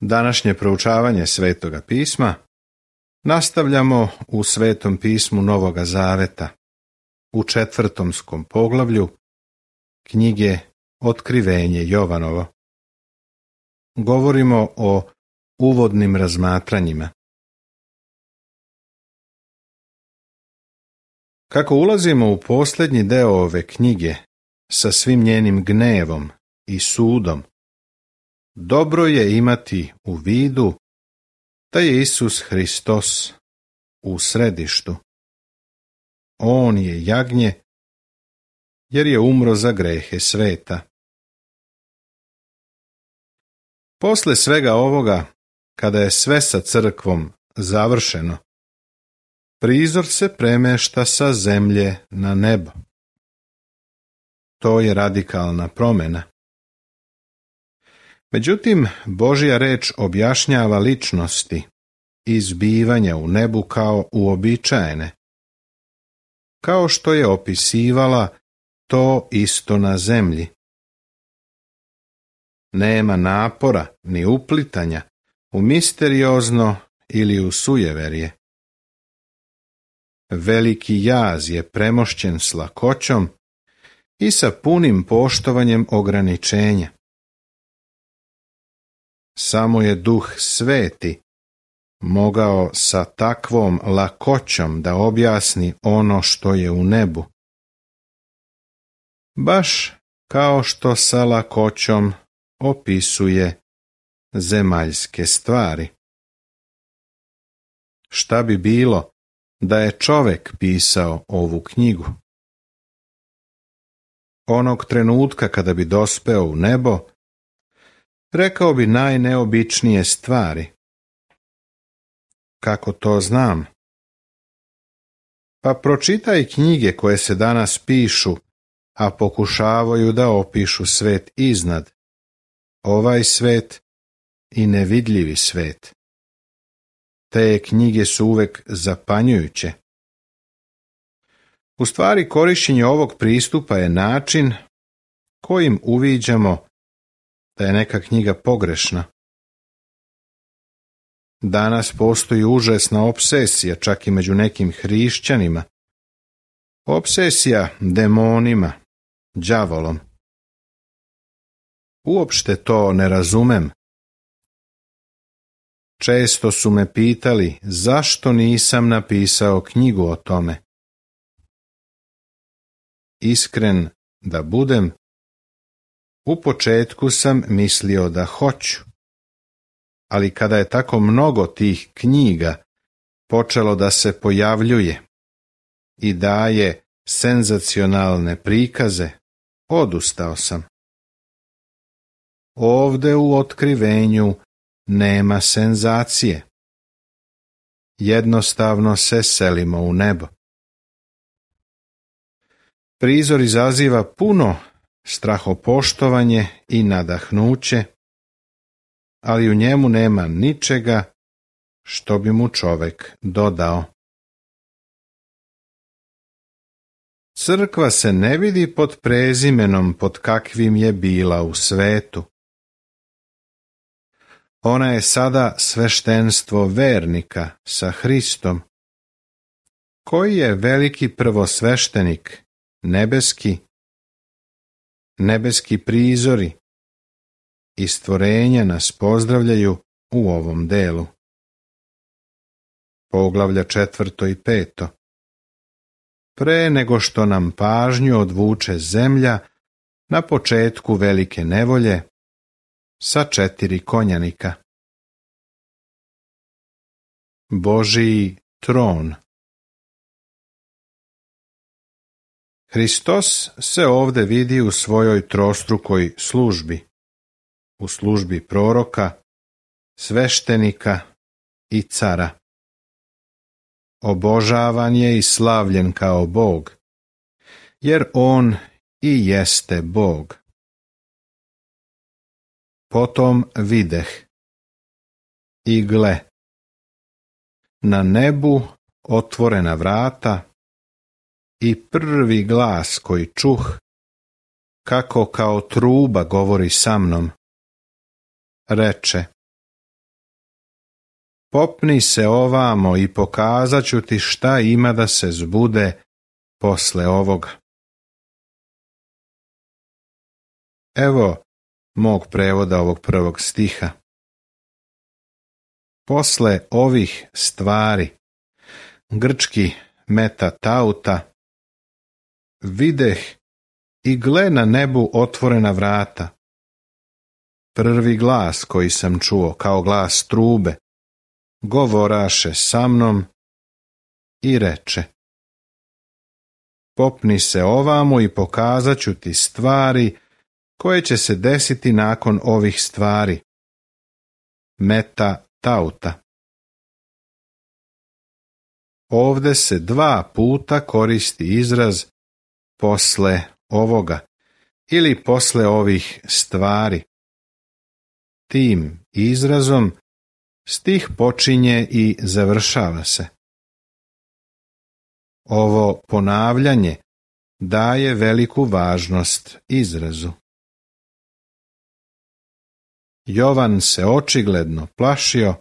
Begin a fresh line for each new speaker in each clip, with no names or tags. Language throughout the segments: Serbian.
Današnje proučavanje Svetoga pisma nastavljamo u Svetom pismu Novoga Zaveta, u 4. poglavlju knjige Otkrivenje Jovanovo. Govorimo o uvodnim razmatranjima. Kako ulazimo u posljednji deo ove knjige sa svim njenim gnevom i sudom, dobro je imati u vidu da je Isus Hristos u središtu. On je jagnje, jer je umro za grehe sveta. Posle svega ovoga, kada je sve sa crkvom završeno, prizor se premešta sa zemlje na nebo. To je radikalna promjena. Međutim, Božja reč objašnjava ličnosti i zbivanja u nebu kao uobičajene, kao što je opisivala to isto na zemlji. Nema napora ni uplitanja u misteriozno ili u sujeverje. Veliki jaz je premošćen s lakoćom i sa punim poštovanjem ograničenja. Samo je Duh Sveti mogao sa takvom lakoćom da objasni ono što je u nebu, baš kao što sa lakoćom opisuje zemaljske stvari. Šta bi bilo da je čovjek pisao ovu knjigu? Onog trenutka kada bi dospeo u nebo, rekao bi najneobičnije stvari. Kako to znam? Pa pročitaj knjige koje se danas pišu, a pokušavaju da opišu svet iznad, ovaj svet i nevidljivi svet. Te knjige su uvek zapanjujuće. U stvari, korištenje ovog pristupa je način kojim uviđamo da je neka knjiga pogrešna. Danas postoji užasna opsesija, čak i među nekim hrišćanima. Opsesija demonima, đavolom. Uopšte to ne razumem. Često su me pitali zašto nisam napisao knjigu o tome. Iskren da budem, u početku sam mislio da hoću, ali kada je tako mnogo tih knjiga počelo da se pojavljuje i daje senzacionalne prikaze, odustao sam. Ovde u otkrivenju nema senzacije. Jednostavno se selimo u nebo. Prizor izaziva puno strahopoštovanje i nadahnuće, ali u njemu nema ničega što bi mu čovjek dodao. Crkva se ne vidi pod prezimenom pod kakvim je bila u svetu. Ona je sada sveštenstvo vernika sa Hristom, koji je veliki prvosveštenik, nebeski prizori i stvorenja nas pozdravljaju u ovom delu. Poglavlja 4. i 5. Pre nego što nam pažnju odvuče zemlja na početku velike nevolje sa 4 konjanika. Božiji tron. Hristos se ovde vidi u svojoj trostrukoj službi, u službi proroka, sveštenika i cara. Obožavan je i slavljen kao Bog, jer on i jeste Bog. Potom videh i gle, na nebu otvorena vrata i prvi glas koji čuh, kako kao truba govori sa mnom, reče: popni se ovamo i pokazat ću ti šta ima da se zbude posle ovoga. Evo mog prevoda ovog prvog stiha. Posle ovih stvari, grčki metatauta, videh i gle na nebu otvorena vrata. Prvi glas koji sam čuo kao glas trube, govoraše sa mnom i reče: popni se ovamo i pokazat ću ti stvari koje će se desiti nakon ovih stvari. Metatauta. Ovde se 2 puta koristi izraz posle ovoga ili posle ovih stvari. Tim izrazom stih počinje i završava se. Ovo ponavljanje daje veliku važnost izrazu. Jovan se očigledno plašio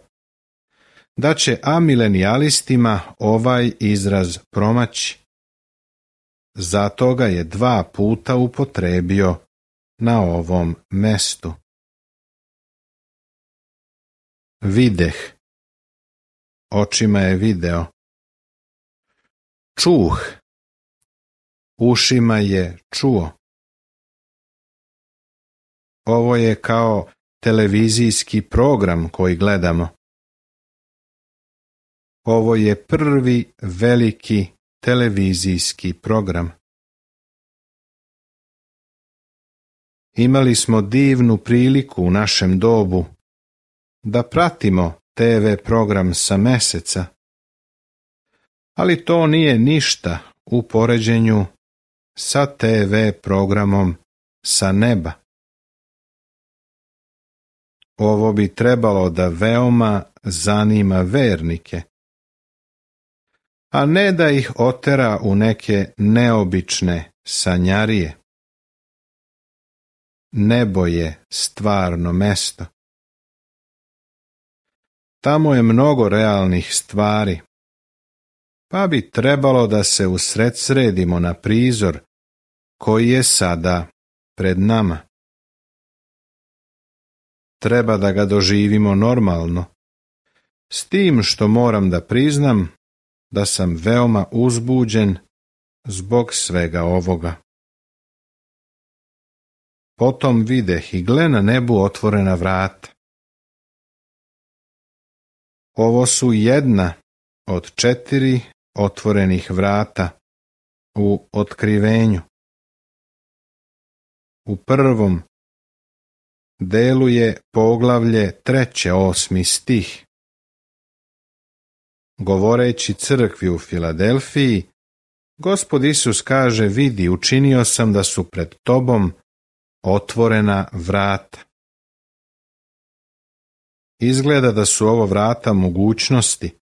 da će amilenijalistima ovaj izraz promaći. Zato ga je 2 puta upotrebio na ovom mestu. Videh. Očima je video. Čuh. Ušima je čuo. Ovo je kao televizijski program koji gledamo. Ovo je prvi veliki televizijski program. Imali smo divnu priliku u našem dobu da pratimo TV program sa meseca, ali to nije ništa u poređenju sa TV programom sa neba. Ovo bi trebalo da veoma zanima vernike, a ne da ih otera u neke neobične sanjarije. Nebo je stvarno mesto. Tamo je mnogo realnih stvari, pa bi trebalo da se usredsredimo na prizor koji je sada pred nama. Treba da ga doživimo normalno, s tim što moram da priznam da sam veoma uzbuđen zbog svega ovoga. Potom videh i gle na nebu otvorena vrata. Ovo su jedna od 4 otvorenih vrata u otkrivenju. U prvom delu je poglavlje 3. 8. stih. Govoreći crkvi u Filadelfiji, Gospod Isus kaže: vidi, učinio sam da su pred tobom otvorena vrata. Izgleda da su ovo vrata mogućnosti,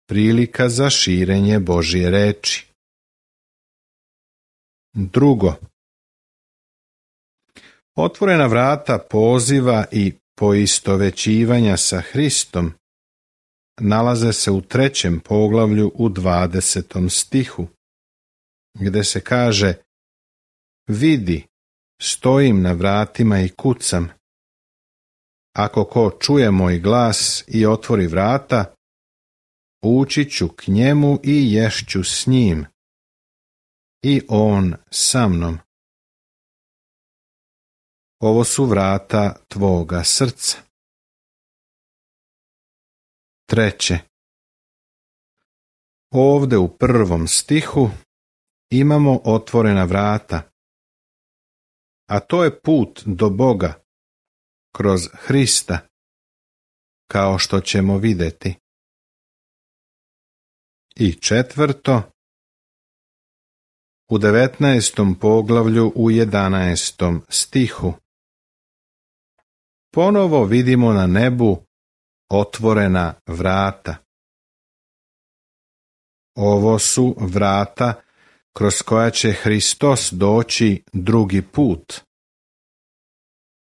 prilika za širenje Božje reči. Drugo, otvorena vrata poziva i poistovećivanja sa Hristom nalaze se u 3. poglavlju u 20. stihu, gde se kaže: vidi, stojim na vratima i kucam. Ako ko čuje moj glas i otvori vrata, ući ću k njemu i ješću s njim, i on sa mnom. Ovo su vrata tvoga srca. Treće, ovde u 1. stihu imamo otvorena vrata, a to je put do Boga kroz Hrista, kao što ćemo videti. I četvrto, u 19. poglavlju u 11. stihu ponovo vidimo na nebu otvorena vrata. Ovo su vrata kroz koja će Hristos doći drugi put.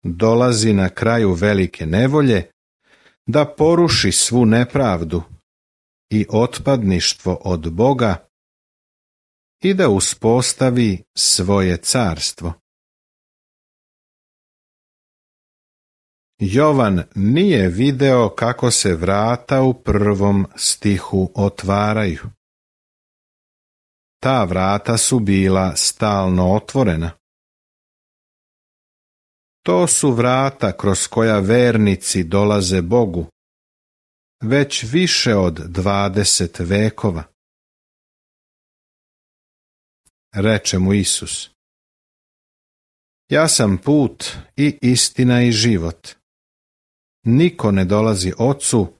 Dolazi na kraju velike nevolje da poruši svu nepravdu i otpadništvo od Boga i da uspostavi svoje carstvo. Jovan nije video kako se vrata u 1. stihu otvaraju. Ta vrata su bila stalno otvorena. To su vrata kroz koja vernici dolaze Bogu, već više od 20 vekova. Reče mu Isus: Ja sam put i istina i život. Niko ne dolazi Ocu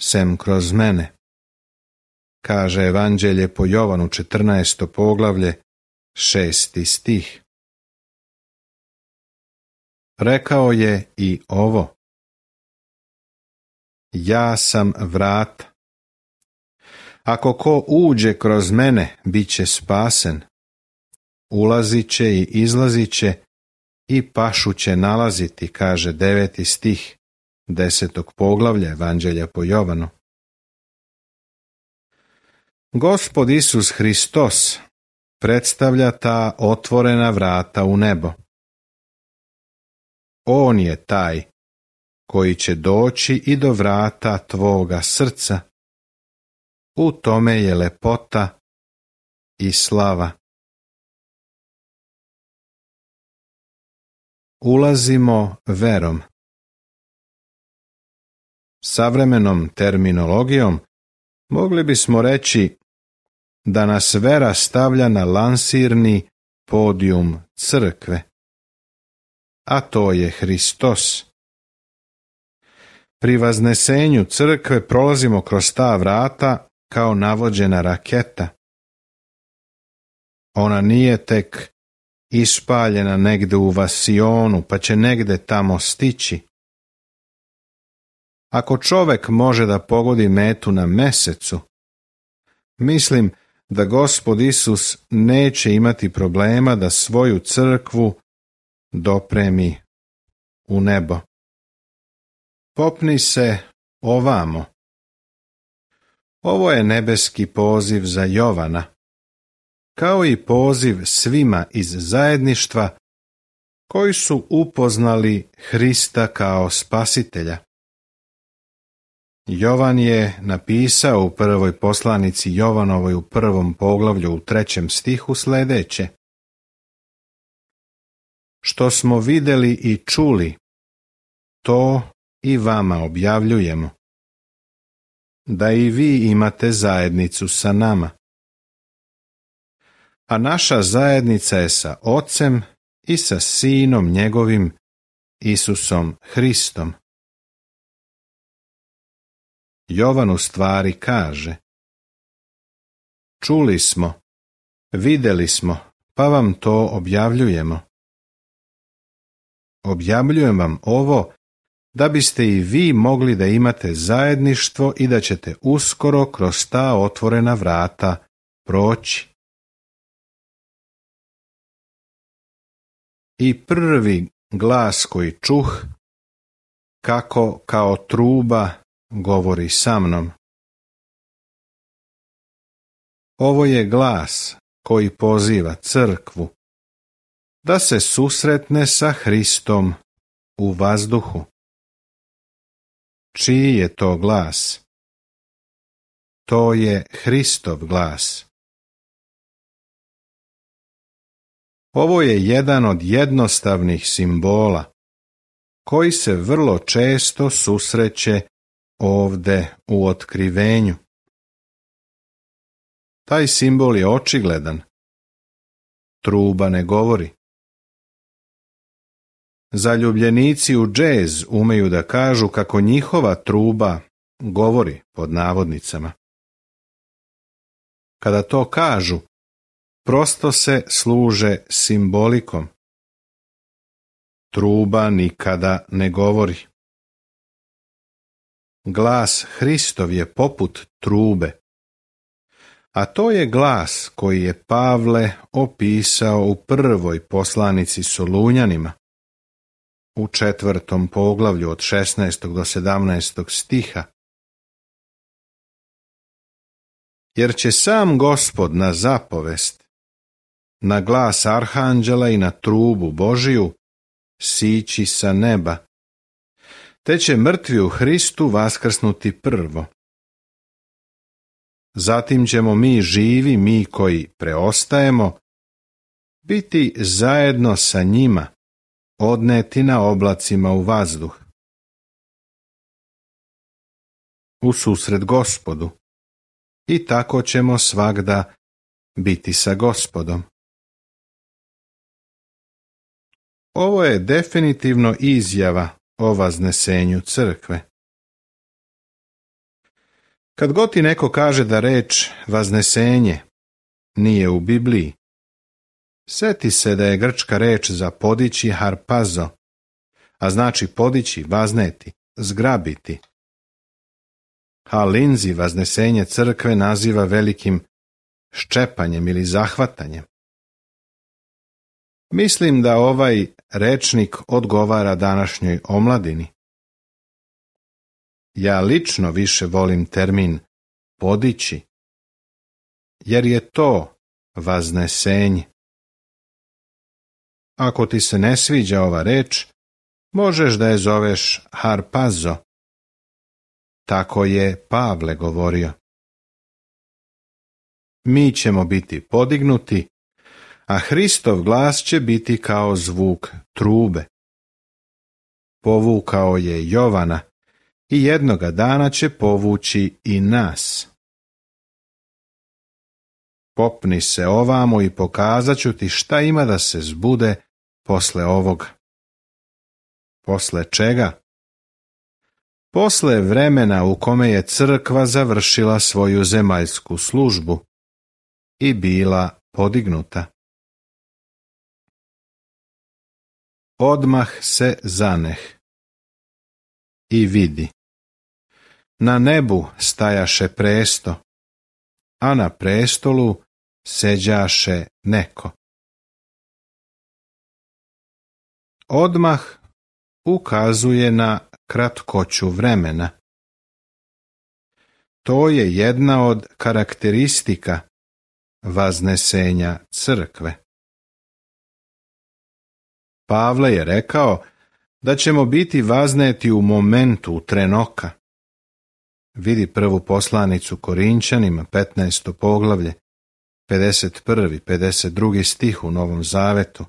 sem kroz mene. Kaže Evanđelje po Jovanu 14. poglavlje, 6. stih. Rekao je i ovo: Ja sam vrata. Ako ko uđe kroz mene, bit će spasen. Ulazit će i izlazit će i pašu će nalaziti, kaže 9. stih 10. poglavlja Evanđelja po Jovanu. Gospod Isus Hristos predstavlja ta otvorena vrata u nebo. On je taj koji će doći i do vrata tvoga srca. U tome je lepota i slava. Ulazimo verom. Savremenom terminologijom mogli bismo reći da nas vera stavlja na lansirni podijum crkve, a to je Hristos. Pri vaznesenju crkve prolazimo kroz ta vrata kao navođena raketa. Ona nije tek ispaljena negde u Vasionu, pa će negde tamo stići. Ako čovek može da pogodi metu na mesecu, mislim da Gospod Isus neće imati problema da svoju crkvu dopremi u nebo. Popni se ovamo. Ovo je nebeski poziv za Jovana, kao i poziv svima iz zajedništva koji su upoznali Hrista kao spasitelja. Jovan je napisao u prvoj poslanici Jovanovoj u 1. poglavlju u 3. stihu sledeće: Što smo vidjeli i čuli, to i vama objavljujemo, da i vi imate zajednicu sa nama. A naša zajednica je sa Ocem i sa Sinom njegovim, Isusom Hristom. Jovan u stvari kaže: Čuli smo, vidjeli smo, pa vam to objavljujemo. Objavljujem vam ovo da biste i vi mogli da imate zajedništvo i da ćete uskoro kroz ta otvorena vrata proći. I prvi glas koji čuh, kako kao truba govori sa mnom. Ovo je glas koji poziva crkvu da se susretne sa Hristom u vazduhu. Čiji je to glas? To je Hristov glas. Ovo je jedan od jednostavnih simbola koji se vrlo često susreće ovde u otkrivenju. Taj simbol je očigledan. Truba ne govori. Zaljubljenici u džez umeju da kažu kako njihova truba govori, pod navodnicama. Kada to kažu, prosto se služe simbolikom. Truba nikada ne govori. Glas Hristov je poput trube, a to je glas koji je Pavle opisao u prvoj poslanici Solunjanima. u 4. poglavlju od 16. do 17. stiha. Jer će sam Gospod na zapovest, na glas arhanđela i na trubu Božiju sići sa neba, te će mrtvi u Hristu vaskrsnuti prvo. Zatim ćemo mi živi, mi koji preostajemo, biti zajedno sa njima, odneti na oblacima u vazduh, u susret Gospodu, i tako ćemo svagda biti sa Gospodom. Ovo je definitivno izjava o vaznesenju crkve. Kad god ti neko kaže da reč vaznesenje nije u Bibliji, seti se da je grčka reč za podići harpazo, a znači podići, vazneti, zgrabiti. Lindsey vaznesenje crkve naziva velikim ščepanjem ili zahvatanjem. Mislim da ovaj rečnik odgovara današnjoj omladini. Ja lično više volim termin podići, jer je to vaznesenje. Ako ti se ne sviđa ova reč, možeš da je zoveš harpazo. Tako je Pavle govorio. Mi ćemo biti podignuti, a Hristov glas će biti kao zvuk trube. Povukao je Jovana i jednoga dana će povući i nas. Popni se ovamo i pokazat ću ti šta ima da se zbude posle ovoga. Posle čega? Posle vremena u kome je crkva završila svoju zemaljsku službu i bila podignuta. Odmah se zaneh i vidi. Na nebu stajaše presto, a na prestolu seđaše neko. Odmah ukazuje na kratkoću vremena. To je jedna od karakteristika vaznesenja crkve. Pavle je rekao da ćemo biti vazneti u momentu, u tren oka. Vidi prvu poslanicu Korinćanima, 15. poglavlje, 51. 52. stih u Novom Zavetu.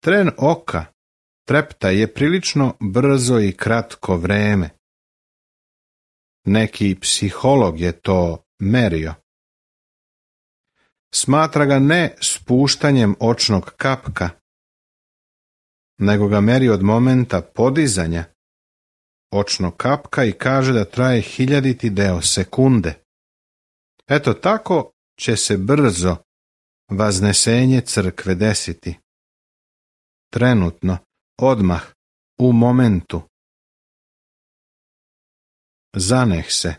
Tren oka, trepta, je prilično brzo i kratko vreme. Neki psiholog je to merio. Smatra ga ne spuštanjem očnog kapka, nego ga meri od momenta podizanja očnog kapka i kaže da traje 1000 deo sekunde. Eto tako će se brzo vaznesenje crkve desiti. Trenutno, odmah, u momentu. Zaneh se,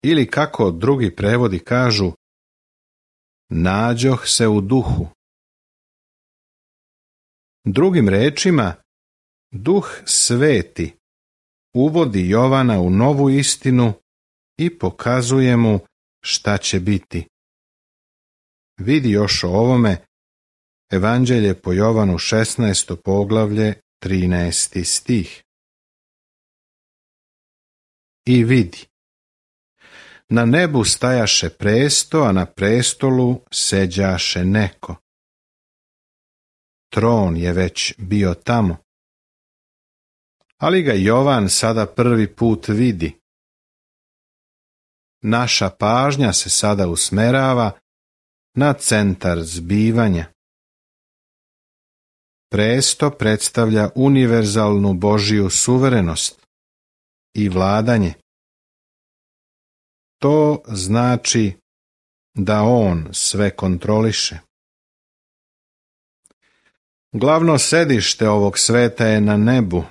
ili kako drugi prevodi kažu, nađoh se u duhu. Drugim rečima, Duh Sveti uvodi Jovana u novu istinu i pokazuje mu šta će biti. Vidi još o ovome Evanđelje po Jovanu 16. poglavlje 13. stih. I vidi. Na nebu stajaše presto, a na prestolu seđaše neko. Tron je već bio tamo. Ali ga Jovan sada prvi put vidi. Naša pažnja se sada usmerava na centar zbivanja. Presto predstavlja univerzalnu Božju suverenost i vladanje. To znači da on sve kontroliše. Glavno sedište ovog sveta je na nebu,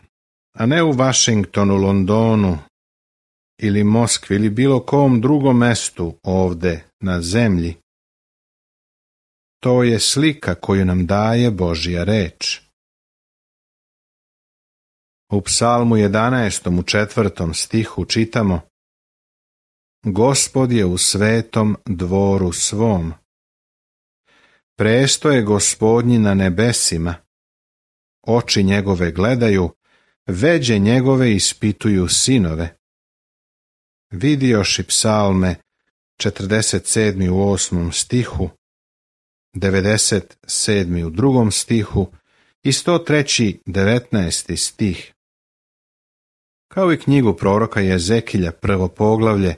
a ne u Vašingtonu, Londonu ili Moskvi ili bilo kom drugom mestu ovde na zemlji. To je slika koju nam daje Božja reč. U psalmu 11. u 4. stihu čitamo: Gospod je u svetom dvoru svom. Presto je Gospodnji na nebesima. Oči njegove gledaju, veđe njegove ispituju sinove. Vidioši psalme 47. u 8. stihu, 97. u 2. stihu i 103. 19. stih. Kao i knjigu proroka Jezekilja 1. poglavlje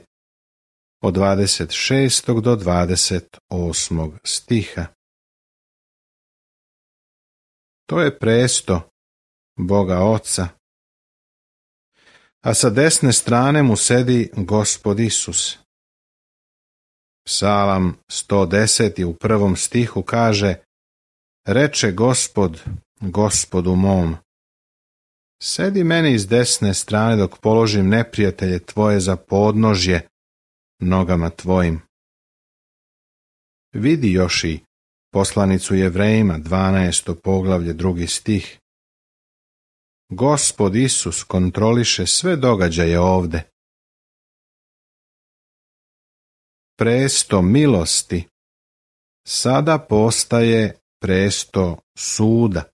od 26. do 28. stiha. To je presto Boga Oca, a sa desne strane mu sedi Gospod Isus. Psalam 110. u 1. stihu kaže: Reče Gospod Gospodu mom, sedi meni s desne strane dok položim neprijatelje tvoje za podnožje nogama tvojim. Vidi još i poslanicu Jevrejima 12. poglavlje 2. stih. Gospod Isus kontroliše sve događaje ovde. Presto milosti sada postaje presto suda.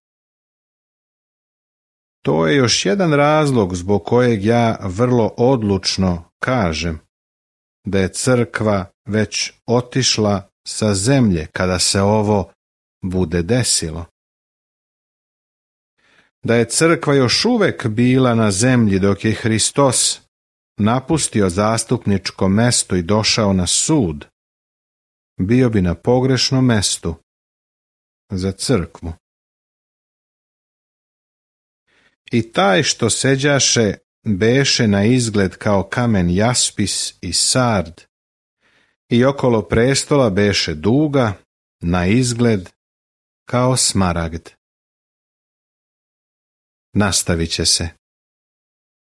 To je još jedan razlog zbog kojeg ja vrlo odlučno kažem da je crkva već otišla sa zemlje kada se ovo bude desilo. Da je crkva još uvek bila na zemlji dok je Hristos napustio zastupničko mesto i došao na sud, bio bi na pogrešnom mestu za crkvu. I taj što seđaše beše na izgled kao kamen jaspis i sard, i okolo prestola beše duga na izgled kao smaragd. Nastavit će se.